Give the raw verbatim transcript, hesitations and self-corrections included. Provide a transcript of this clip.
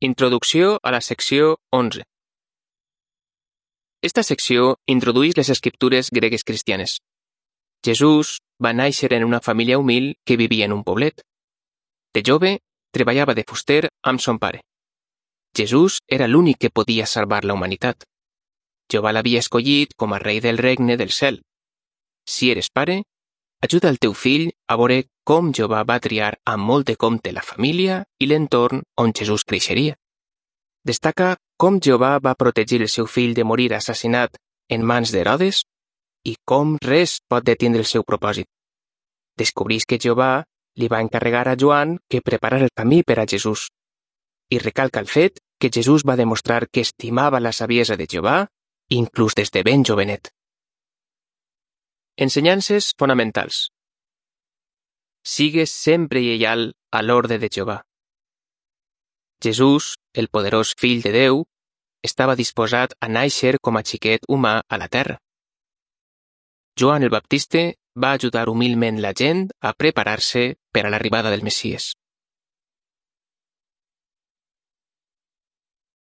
Introducció a la secció onze. Esta secció introdueix les escriptures gregues cristianes. Jesús va néixer en una família humil que vivia en un poblet. De jove, treballava de fuster amb son pare. Jesús era l'únic que podia salvar la humanitat. Jehovà l'havia escollit com a rei del regne del cel. Si eres pare, ajuda el teu fill a veure com Jehovà va triar amb molt de compte la família i l'entorn on Jesús creixeria. Destaca com Jehovà va protegir el seu fill de morir assassinat en mans d'Herodes i com res pot detenir el seu propòsit. Descobreix que Jehovà li va encarregar a Joan que preparara el camí per a Jesús i recalca el fet que Jesús va demostrar que estimava la saviesa de Jehovà inclús des de ben jovenet. Ensenyances fonamentals. Sigues sempre lleial a l'ordre de Jehovà. Jesús, el poderós fill de Déu, estava disposat a néixer com a xiquet humà a la terra. Joan el Baptista va ajudar humilment la gent a preparar-se per a l'arribada del Messies.